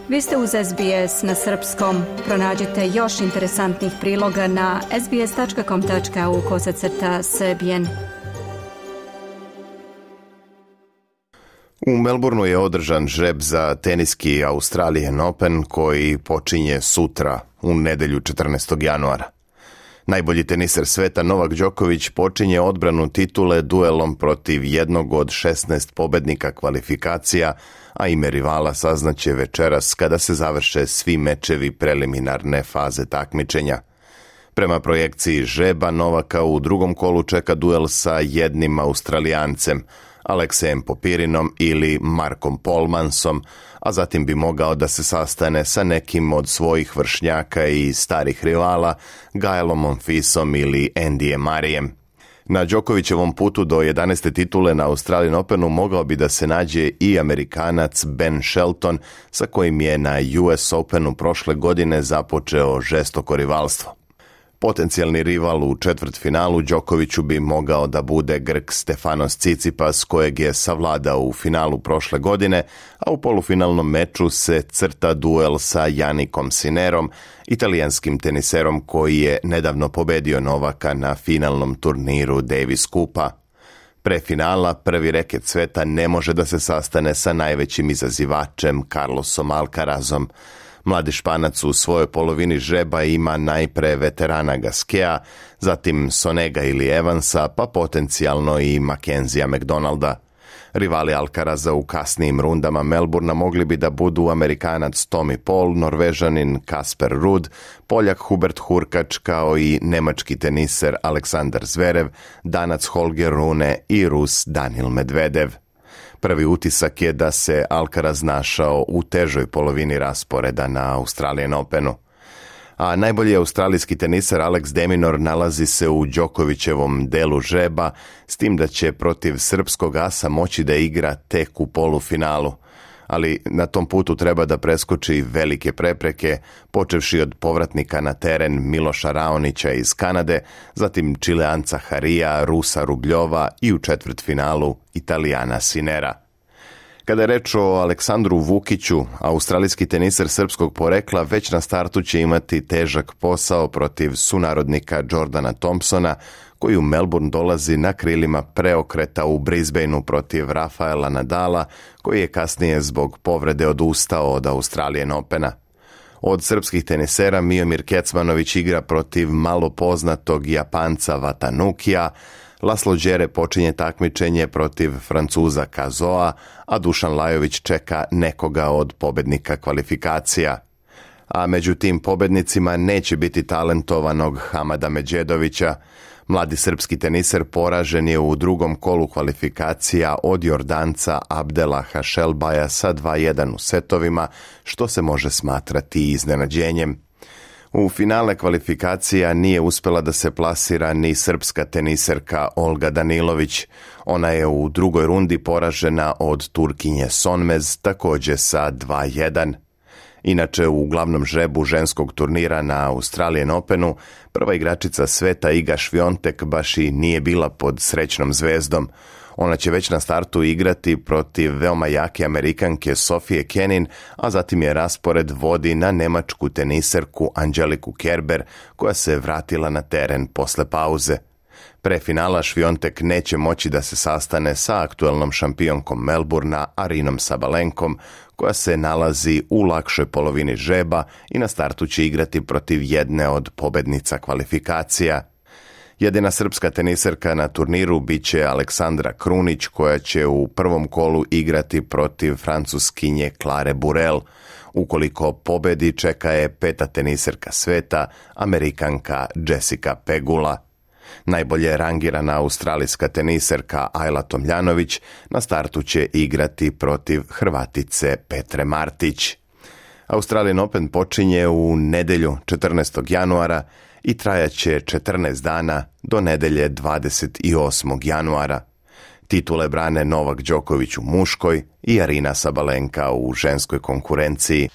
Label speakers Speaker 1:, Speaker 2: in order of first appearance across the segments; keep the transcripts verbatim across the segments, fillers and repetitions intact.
Speaker 1: Vi ste uz S B S na srpskom. Pronađite još interesantnih priloga na sbs.com tačka au kosacrta srbijen.
Speaker 2: U Melbourneu je održan žreb za teniski Australian Open koji počinje sutra, u nedelju četrnaestog januara. Najbolji teniser sveta Novak Đoković počinje odbranu titule duelom protiv jednog od šesnaest pobednika kvalifikacija, a ime rivala saznaće večeras kada se završe svi mečevi preliminarne faze takmičenja. Prema projekciji žreba, Novaka u drugom kolu čeka duel sa jednim Australijancem, Aleksejem Popirinom ili Markom Polmansom, a zatim bi mogao da se sastane sa nekim od svojih vršnjaka i starih rivala, Gaelom Monfisom ili Andyjem Murrayem. Na Đokovićevom putu do jedanaeste titule na Australian Openu mogao bi da se nađe i Amerikanac Ben Shelton, sa kojim je na U S Openu prošle godine započeo žestoko rivalstvo. Potencijalni rival u četvrtfinalu Đokoviću bi mogao da bude Grk Stefanos Tsitsipas, kojeg je savladao u finalu prošle godine, a u polufinalnom meču se crta duel sa Jannikom Sinnerom, italijanskim teniserom koji je nedavno pobedio Novaka na finalnom turniru Davis Cupa. Pre finala prvi reket sveta ne može da se sastane sa najvećim izazivačem Carlosom Alcarazom. Mladi Španac u svojoj polovini žreba ima najpre veterana Gaskea, zatim Sonega ili Evansa, pa potencijalno i Mackenzija McDonalda. Rivali Alcaraza u kasnijim rundama Melbourna mogli bi da budu Amerikanac Tommy Paul, Norvežanin Kasper Ruud, Poljak Hubert Hurkač kao i nemački teniser Aleksandar Zverev, Danac Holger Rune i Rus Daniil Medvedev. Prvi utisak je da se Alcaraz našao u težoj polovini rasporeda na Australian Openu. A najbolji australijski teniser Alex de Minaur nalazi se u Đokovićevom delu žreba, s tim da će protiv srpskog asa moći da igra tek u polufinalu. Ali na tom putu treba da preskoči velike prepreke, počevši od povratnika na teren Miloša Raonića iz Kanade, zatim Čileanca Harija, Rusa Rubljova i u četvrtfinalu Italijana Sinnera. Kada je reč o Aleksandru Vukiću, australijski teniser srpskog porekla već na startu će imati težak posao protiv sunarodnika Jordana Thompsona, koji u Melbourne dolazi na krilima preokreta u Brisbaneu protiv Rafaela Nadala, koji je kasnije zbog povrede odustao od Australian Opena. Od srpskih tenisera Miomir Kecmanović igra protiv malo poznatog Japanca Vatanukija, Laslo Đere počinje takmičenje protiv Francuza Kazoa, a Dušan Lajović čeka nekoga od pobednika kvalifikacija. A među tim pobednicima neće biti talentovanog Hamada Medjedovića. Mladi srpski teniser poražen je u drugom kolu kvalifikacija od Jordanca Abdela Hašelbaja sa dva jedan u setovima, što se može smatrati iznenađenjem. U finale kvalifikacija nije uspela da se plasira ni srpska teniserka Olga Danilović. Ona je u drugoj rundi poražena od Turkinje Sonmez, također sa dva jedan. Inače, u glavnom žrebu ženskog turnira na Australian Openu, prva igračica sveta Iga Swiatek baš i nije bila pod srećnom zvezdom. Ona će već na startu igrati protiv veoma jake Amerikanke Sofije Kenin, a zatim je raspored vodi na nemačku teniserku Angeliku Kerber, koja se vratila na teren posle pauze. Pre finala Swiatek neće moći da se sastane sa aktuelnom šampionkom Melbournea Arinom Sabalenkom, koja se nalazi u lakšoj polovini žreba i na startu će igrati protiv jedne od pobednica kvalifikacija. Jedina srpska teniserka na turniru biće Aleksandra Krunić, koja će u prvom kolu igrati protiv francuskinje Klare Burel. Ukoliko pobedi, čeka je peta teniserka sveta, Amerikanka Jessica Pegula. Najbolje rangirana australijska teniserka Ajla Tomljanović na startu će igrati protiv Hrvatice Petre Martić. Australian Open počinje u nedelju četrnaestog januara i trajaće četrnaest dana do nedelje dvadeset osmog januara. Titule brane Novak Đoković u muškoj i Arina Sabalenka u ženskoj konkurenciji.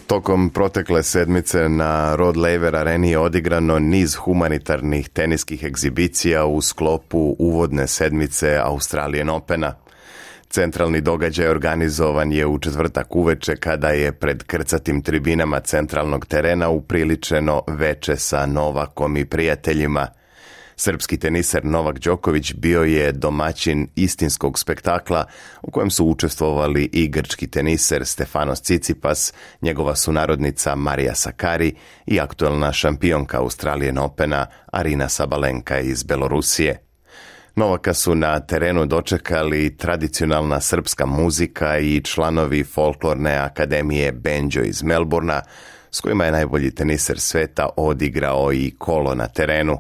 Speaker 2: Tokom protekle sedmice na Rod Laver Areni je odigrano niz humanitarnih teniskih egzibicija u sklopu uvodne sedmice Australian Opena. Centralni događaj organizovan je u četvrtak uveče kada je pred krcatim tribinama centralnog terena upriličeno veče sa Novakom i prijateljima. Srpski teniser Novak Đoković bio je domaćin istinskog spektakla u kojem su učestvovali i grčki teniser Stefanos Tsitsipas, njegova sunarodnica Marija Sakkari i aktuelna šampionka Australian Opena Arina Sabalenka iz Belorusije. Novaka su na terenu dočekali tradicionalna srpska muzika i članovi folklorne akademije Benđo iz Melbourna, s kojima je najbolji teniser sveta odigrao i kolo na terenu.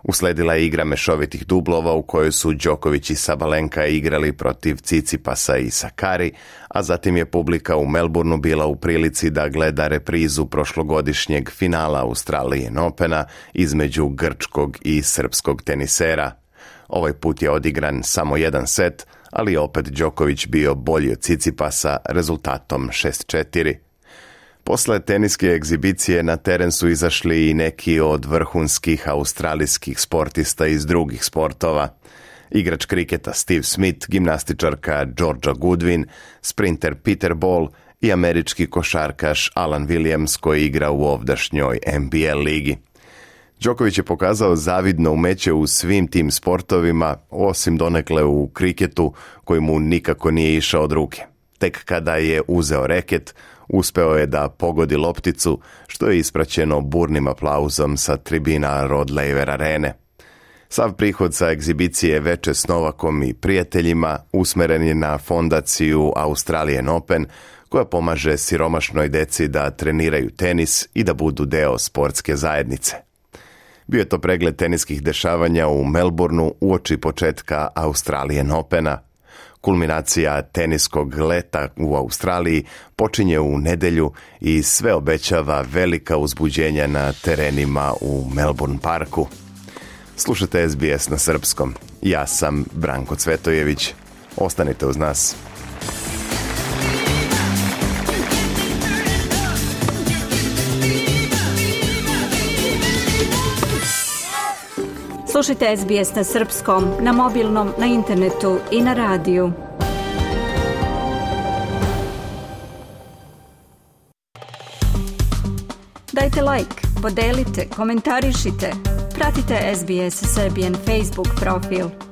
Speaker 2: Usledila je igra mešovitih dublova u kojoj su Đoković i Sabalenka igrali protiv Tsitsipasa i Sakkari, a zatim je publika u Melbourneu bila u prilici da gleda reprizu prošlogodišnjeg finala Australian Opena između grčkog i srpskog tenisera. Ovaj put je odigran samo jedan set, ali je opet Đoković bio bolji od Tsitsipasa rezultatom šest četiri. Posle teniske egzibicije na teren su izašli i neki od vrhunskih australijskih sportista iz drugih sportova. Igrač kriketa Steve Smith, gimnastičarka Georgia Goodwin, sprinter Peter Ball i američki košarkaš Alan Williams koji igra u ovdašnjoj N B L ligi. Đoković je pokazao zavidno umeće u svim tim sportovima, osim donekle u kriketu koji mu nikako nije išao od ruke. Tek kada je uzeo reket, uspeo je da pogodi lopticu, što je ispraćeno burnim aplauzom sa tribina Rod Laver Arene. Sav prihod sa egzibicije veče s Novakom i prijateljima usmeren je na fondaciju Australian Open, koja pomaže siromašnoj deci da treniraju tenis i da budu deo sportske zajednice. Bio je to pregled teniskih dešavanja u Melbourneu uoči početka Australian Opena. Kulminacija teniskog leta u Australiji počinje u nedelju i sve obećava velika uzbuđenja na terenima u Melbourne parku. Slušajte S B S na srpskom. Ja sam Branko Cvetojević. Ostanite uz nas.
Speaker 1: Slušajte S B S na srpskom, na mobilnom, na internetu i na radiju. Dajte like, podelite, komentarišite. Pratite S B S Serbian Facebook profil.